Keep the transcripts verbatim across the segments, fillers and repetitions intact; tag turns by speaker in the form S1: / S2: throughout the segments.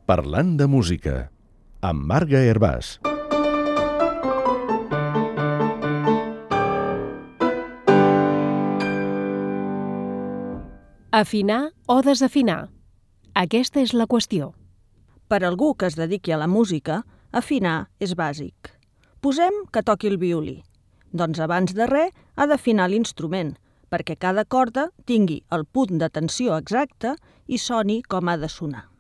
S1: Parlant de música, amb Marga Hervàs.
S2: Afinar o desafinar? Aquesta és la qüestió.
S3: Per algú que es dediqui a la música, afinar és bàsic. Posem que toqui el violí. Doncs abans de res ha d'afinar l'instrument, perquè cada corda tingui el punt de tensió exacte i soni com ha de sonar.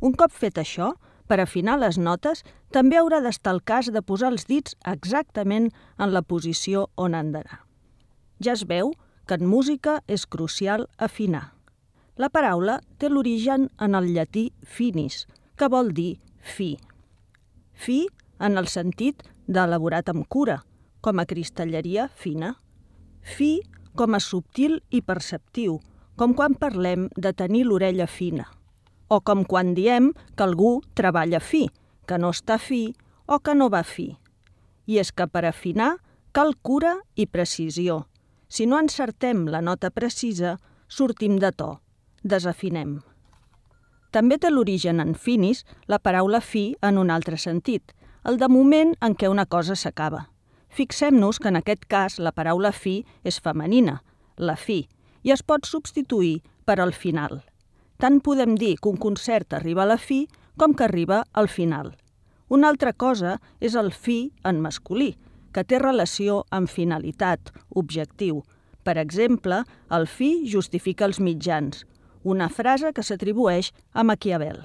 S3: Un cop fet això, per afinar les notes, també haurà d'estar el cas de posar els dits exactament en la posició on han d'anar. Ja es veu que en música és crucial afinar. La paraula té l'origen en el llatí finis, que vol dir fi. Fi en el sentit d'elaborat amb cura, com a cristalleria fina. Fi com a subtil i perceptiu, com quan parlem de tenir l'orella fina. O com quan diem que algú treballa fi, que no està fi o que no va fi. I és que per afinar cal cura i precisió. Si no encertem la nota precisa, sortim de to, desafinem. També té l'origen en finis la paraula fi en un altre sentit, el de moment en què una cosa s'acaba. Fixem-nos que en aquest cas la paraula fi és femenina, la fi, i es pot substituir per al final. Tant podem dir que un concert arriba a la fi com que arriba al final. Una altra cosa és el fi en masculí, que té relació amb finalitat, objectiu. Per exemple, el fi justifica els mitjans, una frase que s'atribueix a Maquiavel.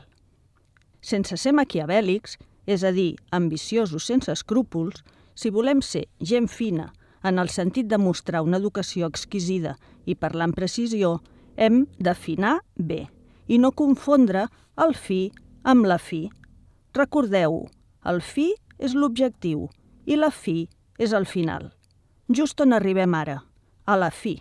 S3: Sense ser maquiavèlics, és a dir, ambiciosos sense escrúpols, si volem ser gent fina, en el sentit de mostrar una educació exquisida i parlar amb precisió, hem d'afinar bé i no confondre el fi amb la fi. Recordeu-ho, el fi és l'objectiu i la fi és el final. Just on arribem ara, a la fi.